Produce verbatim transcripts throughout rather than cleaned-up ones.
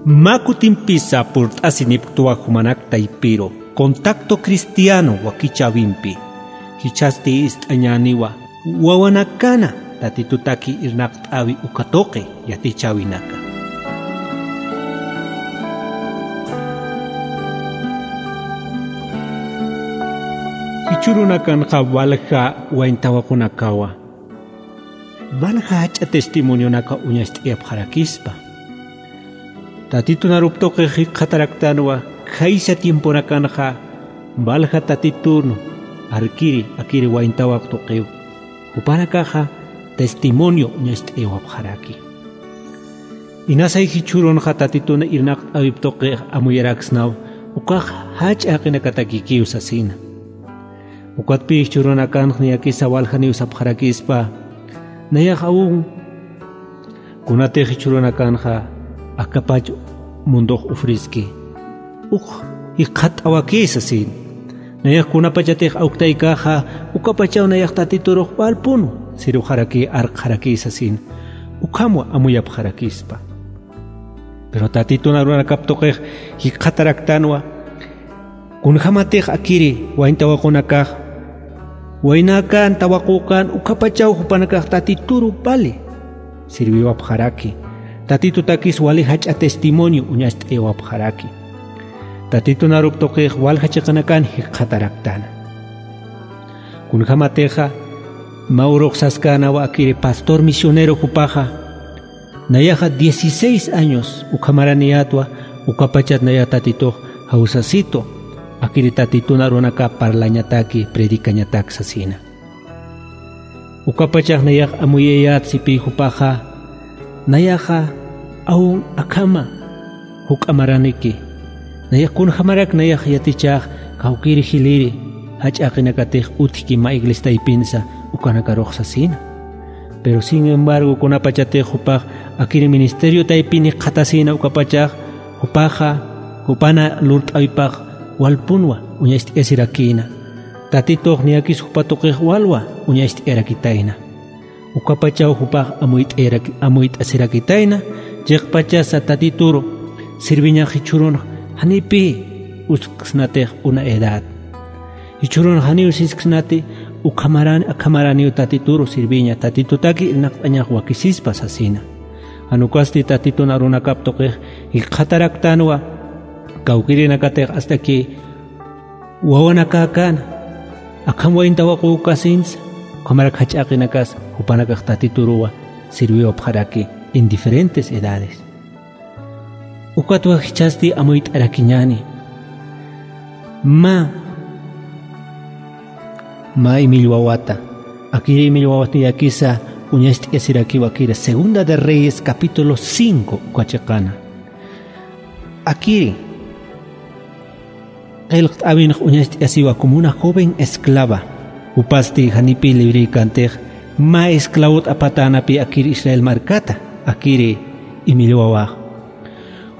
Mä kutimpisa purt'asinipktwa jumanak taypiru Contacto Cristiano wakichäwimpi. Jichhasti ist'añäniwa wawanakana Tatitutaki irnaqt'äwi uka tuqi yatichäwinaka. Jichhürunakanxa walja wayn tawaqunakawa, walja jach'a testimonionaka uñacht'ayapxarakispa. Tatitun arup tuqix jikxataraktanwa, khaysa tiemponakanxa walja Tatitun arkiri, akiri wayn tawaq tuqiw, jupanakaxa testimonio uñacht'ayawapxaraki. Inasay jichhürunxa Tatitun irnaqt'äwip tuqix amuyaraksnaw, ukax jach'a jaqinakatakikiw sasina. Ukatpï jichhürunakanx niyakisa waljaniw sapxarakispa, nayax aún kunatix jichhürunakanxa akapach mundox ofrezki, uk jikxatawaki sasin. Nayax kunapachatix awktaykaxa, ukapachaw nayax Tatiturux walpun sirwxaraki, arkxaraki sasin. Ukhamwa amuyapxarakispa. Pero Tatitun arunakap tuqix jikxataraktanwa, kunjamatix akiri wayn tawaqunakax, waynäkän tawaqükän ukapachaw jupanakax Tatituru vali sirwiwapxaraki. Tatitutakis wali jach'a testimonio uñacht'ayawapxaraki. Tatitun arup tuqix walja chiqanakan jikxataraktana. Kunjamatixa mä urux saskänwa akiri pastor misionero jupaxa, nayaxa dieciséis años ukhamaraniyätwa, ukapachat nayax Tatitux jawsasitwa, akiri Tatitun arunakap parlañataki, predicañatak sasina. Ukapachax nayax amuyayät sipï jupaxa, nayaxa aún akhama juk'a maraniki. Nayax kunjamarak nayax yatichäx kawkïri jiliri, jach'a jaqinakatix utjki mä iglesia taypinsa ukanakarux sasina. Pero sin embargo, kunapachatix jupax akiri ministerio taypin jikxatasina ukapachax, jupaxa, jupana lurt'äwipax walpunwa uñacht'ayasirakïna. Tatitux niyakis jupa tuqix walwa uñacht'ayarakitayna. Ukapachaw jupax amuyt'ayaraki-, amuyt'asirakitayna, chiqpachasa Tatituru sirviñax jichhürunx janipï usksnatix una edad. Jichhürunx janiw sisksnati, ukhamaran-, akhamaraniw Tatituru sirviña, Tatitutaki irnaqt'añax wakisispa sasina. Jan ukasti Tatitun arunakap tuqix jikxataraktanwa, kawkïrinakatix hasta que wawanakäkän, akham wayn tawaqükasinsa, ukhamarak jach'a jaqinakas, jupanakax Tatituruwa sirwiwapxaraki en diferentes edades. Ukatwa jichhasti amuyt'arakiñäni. Mä, mä Emil wawata, akiri Emil wawat niyakisa uñacht'ayasirakiwa akiri Segunda de Reyes capítulo cinco uka chiqana. Akiri qillqt'äwinx uñacht'ayasiwa como una joven esclava. Jupasti janipï librïkantix mä esclavot apatänapï akiri Israel markata, akiri Emil wawax.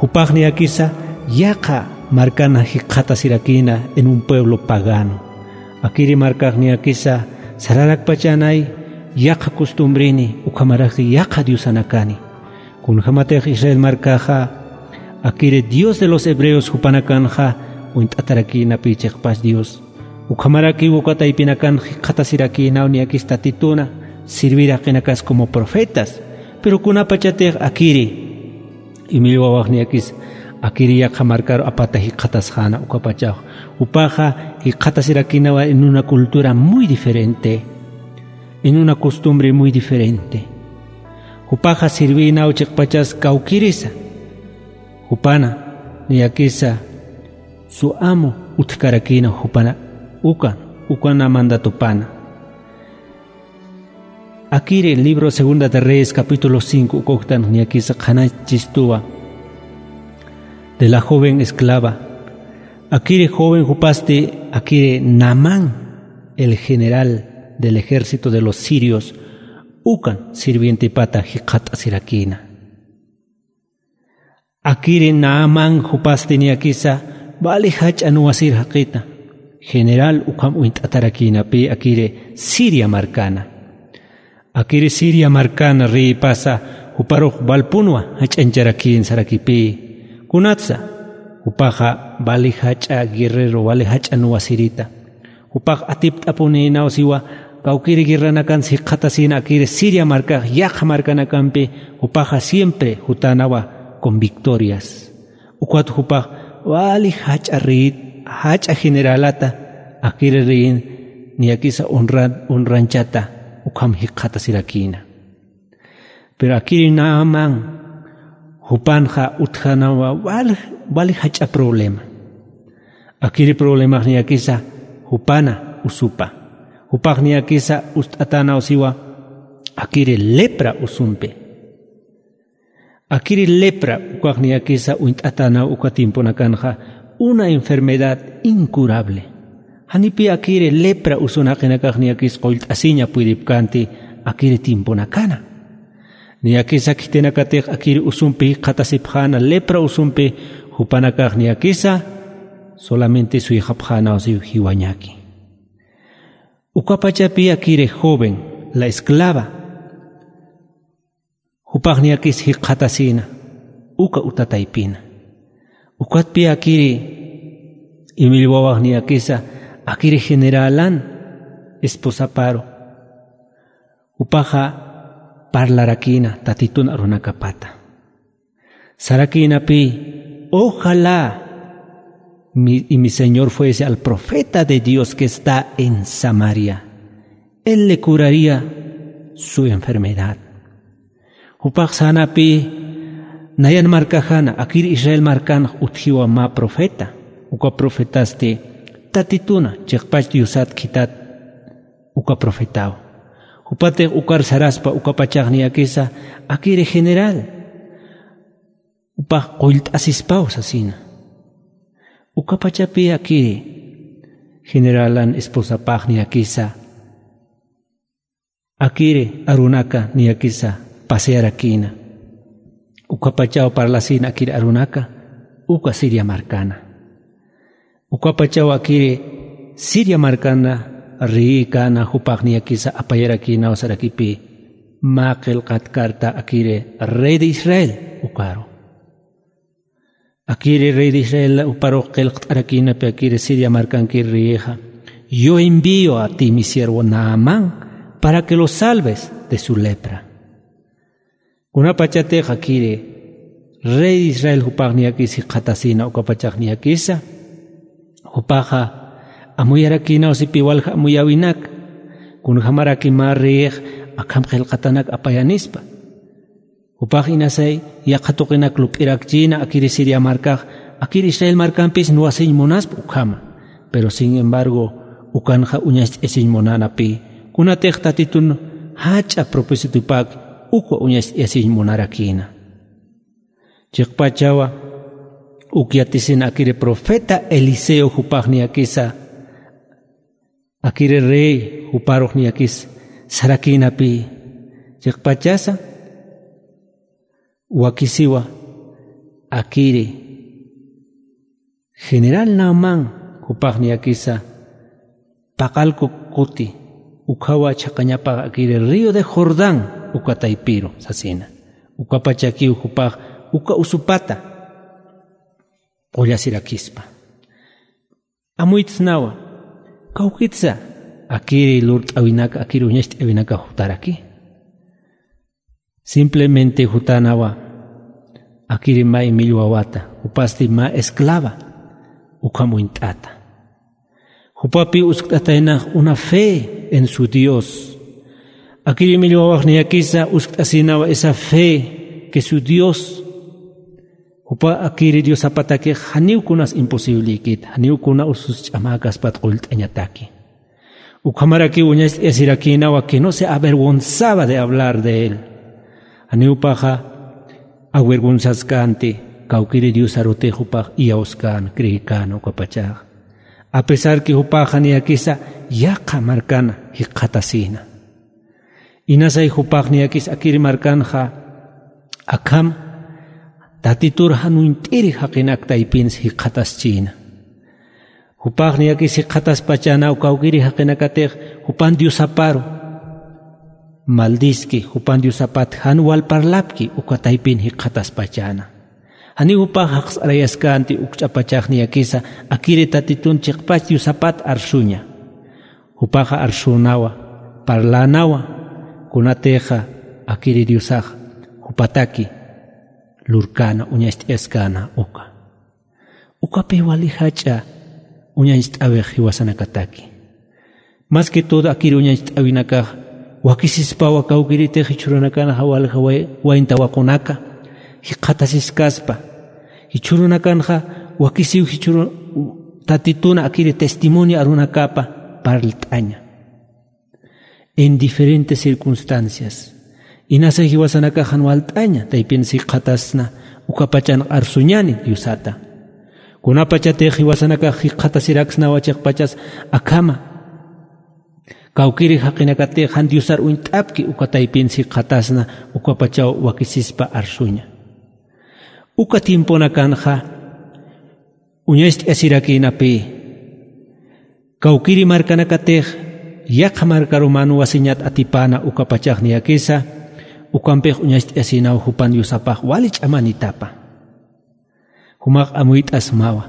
Jupax niyakisa yaqha markana jikxatasirakïna en un pueblo pagano. Akiri markax niyakisa sararakpachanay yaqha costumbrini, ukhamaraki yaqha diosanakani. Kunjamatix Israel markaxa, akiri Dios de los hebreos jupanakanxa uñt'atarakïnapï chiqpas Dios. Ukhamarakiw uka taypinakan jikxatasirakïnaw niyakis Tatituna sirvir jaqinakas como profetas. Pero kunapachatix akiri Emil wawax niyakis akiri yaqha markaru apata jikxatasxäna ukapachax. Jupaxa jikxatasirakïnawa en una cultura muy diferente, en una costumbre muy diferente. Jupaxa sirvïnaw chiqpachas kawkïrisa. Jupana niyakisa su amo utjkarakïna jupana ukan, ukana mandatupana. Akiri libro Segunda de Reyes capítulo cinco uka uktan niyakisa qhanachistuwa de la joven esclava. Akiri joven jupasti, akiri Naamán, el general del ejército de los sirios, ukan sirvientepata jikxatasirakïna. Akiri Naamán jupasti niyakisa vali jach'a nuwasir jaqita, general ukham uñt'atarakïnapï akiri Siria markana. Akiri Siria markana reypasa juparux valpunwa jach'añcharakïn sarakipï. Kunatsa, jupaxa vali jach'a guerrero, vali jach'a nuwasirita. Jupax atipt'apunïnaw siwa, kawkiri guerranakan jikxatasïna akiri Siria markax, yaqha markanakampi, jupaxa siempre jutanawa con victorias. Ukat jupax vali jach'a rey, jach'a generalata, akiri reyin, niyakisa honran, honranchata, ukham jikxatasirakïna. Pero akiri Naamán, jupanxa utjanawa vali, vali jach'a problema. Akiri problemax niyakisa, jupana usupa. Jupax niyakisa, ust'atanaw siwa, akiri lepra usumpi. Akiri lepra, ukax niyakisa uñt'atanaw uka tiemponakanxa, una enfermedad incurable. Janipi akiri lepra usunaqinakax niyakis qullt'asiña puripkanti akiri tiemponakana. Niyakisa khitinakatix akiri usumpi jikxatasipxäna lepra usumpi jupanakax niyakisa solamente suyxapxänaw siw jiwañaki. Ukapachapi akiri joven, la esclava. Jupax niyakis jikxatasïna, uka uta taypina. Ukatpi akiri, imillwawax niyakisa, akiri generalan esposaparu. Jupaxa parlarakïna Tatitun arunakapata. Sarakïnapi, ojalá mi, y mi Señor fuese al profeta de Dios que está en Samaria. Él le curaría su enfermedad. Jupax sanapi nayan markaxana, akir Israel markanx utjiwa mä profeta. Uka profetasti Tatituna, chiqpach Diosat khitat uka profetaw. Jupatix ukar saraspa ukapachax niyakisa, akiri general. Jupax qullt'asispaw sasina. Ukapachapi akiri generalan esposapax niyakisa. Akiri arunaka niyakisa pasearakïna. Ukapachaw parlasïna akiri arunaka, uka Siria markana. Ukapachaw akiri Siria markana rïkana jupax niyakisa apayarakïnaw sarakipi, mä qillqat carta akiri rey de Israel ukaru. Akiri rey de Israel uparux qillqt'arakïnapi akiri Siria markankir riyixa, yo envío a ti mi siervo Naamán para que lo salves de su lepra. Kunapachatix akiri rey de Israel jupax niyakis jikxatasïna ukapachax niyakisa, jupaxa amuyarakïnaw sipi walja amuyäwinak, kunjämaraki mä reyix akham qillqatanak apayanispa. Jupax inasay yaqha tuqinak lup'irakchïna akiri Siria markax, akiri Israel markampis nuwasiñ munaspa ukhama. Pero sin embargo, ukanxa uñacht'ayasiñ munänapï, kunatix Tatitun jach'a propósitopak ukwa uñacht'ayasiñ munarakïna. Chiqpachawa uk yatisin akiri profeta Eliseo jupax niyakisa, akiri rey juparux niyakis sarakïnapï, chiqpachasa wakisiwa akiri general Naamán jupax niyakisa paqallku kuti ukhawa chhaqañapax akiri río de Jordán uka taypiru sasina. Ukapachakiw jupax uka usupata qullasirakispa. Amuytsnawa, kawkitsa akiri lurt'äwinaka, akiri uñacht'äwinaka jutaraki. Simplemente jutanawa, akiri mä imillwa wata, jupasti mä esclava, ukham uñt'ata. Jupapi uskt'ataynax una fe en su Dios. Akiri imillwawax niyakisa uskt'asinawa esa fe que su Dios Jupa akiri Diosapatakix janiw kunas imposiblïkit, janiw kuna usus ch'amäkaspat qullt'añataki. Ukhamarakiw uñacht'ayasirakïnawa que no se avergonzaba de hablar de él. Janiw jupaxa avergonzaskänti, kawkiri Diosarutix jupax iyawskän, creekän ukapachax. A pesar que jupaxa niyakisa yaqha markan jikxatasïna. Inasay jupax niyakis akiri markanxa akham Tatitur jan uñt'iri jaqinak taypins jikxataschïna. Jupax niyakis jikxataspachäna uka kawkiri jaqinakatix jupan Diosaparu maldiski, jupan Diosapat jan wal parlapki uka taypin jikxataspachäna. Janiw jupax jaqs'arayaskänti uk ch'apachax niyakisa, akiri Tatitun chiqpach Diosapat arsuña. Jupaxa arsünawa, parlänawa, kunatixa akiri Diosax jupataki lurkäna, uñacht'ayaskäna uka. Ukapï wali jach'a uñacht'awix jiwasanakataki. Más que todo akiri uñacht'äwinakax wakisispawa kawkïritix jichhürunakanxa walja way-, wayn tawaqunaka jikxatasiskaspa. Jichhürunakanxa wakisiw jichhürun Tatitun akiri testimonio arunakapa parlt'aña en diferentes circunstancias. Inasa jiwasanakax jan walt'aña, taypin jikxatasna, ukapachan arsuñani Diosata. Kunapachatix jiwasanakax jikxatasiraksnawa chiqpachas akhama. Kawkïri jaqinakatix jan Diosar uñt'apki uka taypin jikxatasna, ukapachaw wakisispa arsuña. Uka tiemponakanxa uñacht'ayasirakïnapï. Kawkïri markanakatix yaqha markaru mä nuwasiñat atipäna ukapachax niyakisa, ukampix uñacht'ayasïnaw jupan Diosapax wali ch'amanitapa. Jumax amuyt'asmawa.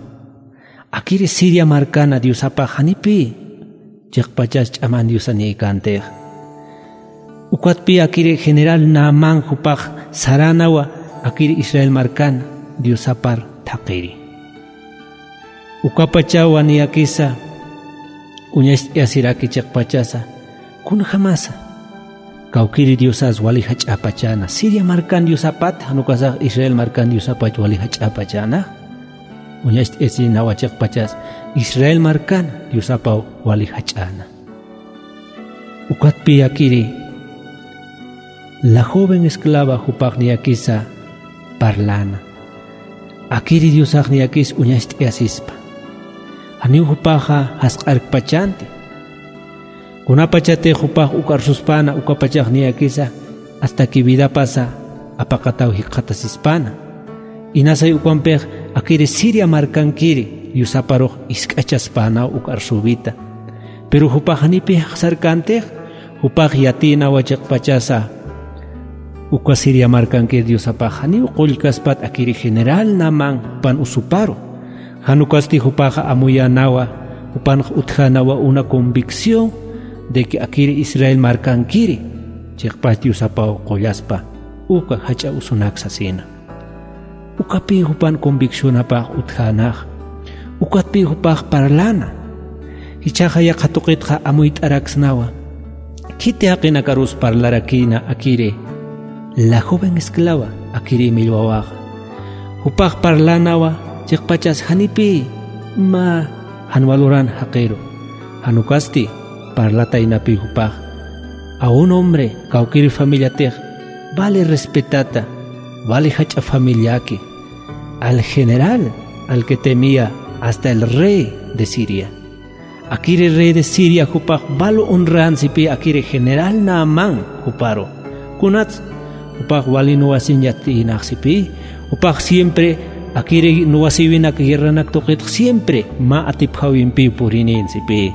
Akiri Siria markana Diosapax janipï chiqpachas ch'aman diosanïkäntix. Ukatpï akiri general Naamán jupax saränawa akiri Israel markan Diosapar thaqhiri. Ukapachawa niyakisa uñacht'ayasiraki chiqpachasa, kunjamasa kawkïri diosas wali jach'apachäna, Siria markan diosapat, jan ukasax Israel markan diosapach wali jach'apachäna. Uñacht'ayasïnawa chiqpachas Israel markan Diosapaw wali jach'äna. Ukatpï akiri la joven esclava jupax niyakisa parläna. Akiri Diosax niyakis uñacht'ayasispa. Janiw jupaxa jasq'arkpachänti. Kunapachatix jupax uk arsuspäna ukapachax niyakisa hasta que vidapasa apaqataw jikxatasispäna. Inasay ukampix akiri Siria markankiri Diosaparux isk'achaspänaw uk arsüwita. Pero jupax janipï jaqsarkäntix, jupax yatïnawa chiqpachasa uka Siria markankir Diosapax janiw qullkaspat akiri general Naamán jupan usuparu. Jan ukasti jupaxa amuyänawa, jupanx utjänawa una convicción de que akiri Israel markankiri chiqpach Diosapaw qullaspa uka jach'a usunak sasina. Ukapï jupan conviccionapax utjänax. Ukatpï jupax parläna. Jichhaxa yaqha tuqitxa amuyt'araksnawa. Khiti jaqinakarus parlarakïna akiri la joven esclava, akiri millwawaxa. Jupax parlänawa, chiqpachas janipï mä jan waluran jaqiru. Jan ukasti parlataynapï jupax. A un hombre kawkïri familiatix vale respetata, vale jach'a familiaki, al general al que temía hasta el rey de Siria. Akiri rey de Siria jupax valo honran sipï akiri general Naamán juparu. Kunats jupax wali nuwasiñ yatïnax sipï, jupax siempre akiri nuwasïwinak guerranak tuqitx siempre mä atipjäwimpiw purïnin sipï.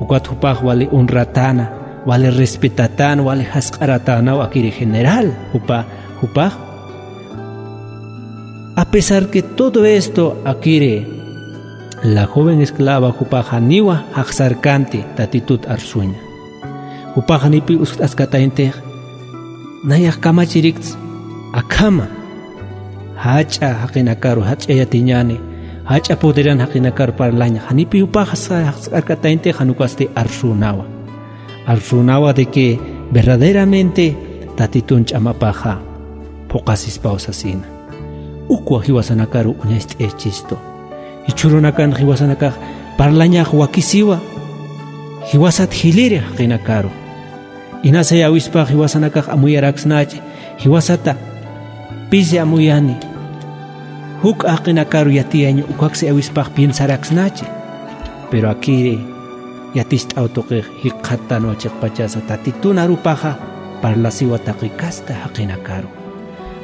Ukat jupax wali honratäna, wali respetatäna, wali jasq'aratänaw akiri general jupa, jupax. A pesar que todo esto akiri la joven esclava jupax janiwa jaqsarkänti Tatitut arsuña. Jupax janipï uskt'askatayntix, nayax kamachirikts akhama. Jach'a jaqinakaru, jach'a yatiñäni, jach'a poderan jaqinakaru parlaña. Janipï jupax jaqsarkatayntix, jan ukasti arsünawa. Arsünawa de que verdaderamente Tatitun ch'amapaxa phuqasispaw sasina. Ukwa jiwasanakaru uñacht'ayachistu. Jichhürunakan jiwasanakax parlañax wakisiwa, jiwasat jiliri jaqinakaru. Inasay awispax jiwasanakax amuyaraksnachi, jiwasata pisi amuyani. Juk'a jaqinakaru yatiyañ ukaksi awispax piensaraksnachi. Pero akiri yaticht'aw tuqix jikxattanwa chiqpachasa Tatitun arupaxa parlasiwa taqi kasta jaqinakaru.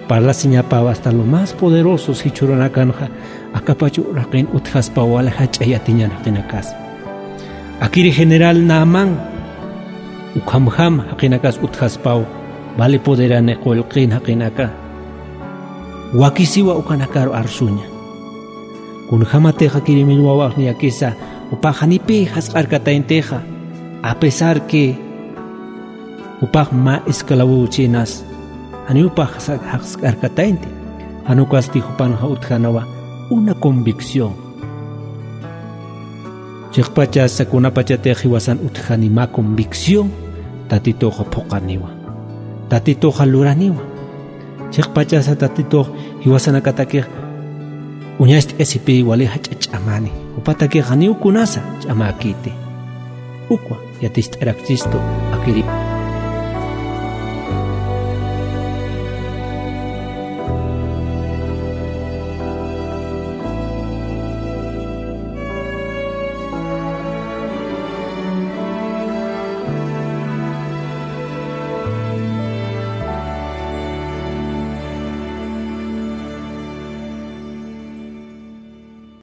Parlasiñapaw hasta lo más poderosos jichhürunakanxa akapach uraqin utjaspaw wali jach'a yatiñan jaqinakas. Akiri general Naamán ukhamjam jaqinakas utjaspaw vali poderani qullqin jaqinaka. Wakisiwa ukanakaru arsuña. Kunjamatixa kirimil wawax niyakisa, jupax janipï jasq'arkatayntixa, a pesar que jupax mä esclavowchinas, janiw jupax jasq'arkataynti. Jan ukasti jupanxa utjänawa una convicción. Chiqpachasa kunapachatix jiwasan utjani mä convicción, Tatituxa phuqaniwa, Tatituxa luraniwa. Chiqpachasa Tatitux jiwasanakatakix uñast'asipï wali jach'a ch'amani, jupatakix janiw kunasa ch'amäkiti. Ukwa yatist'arakchistu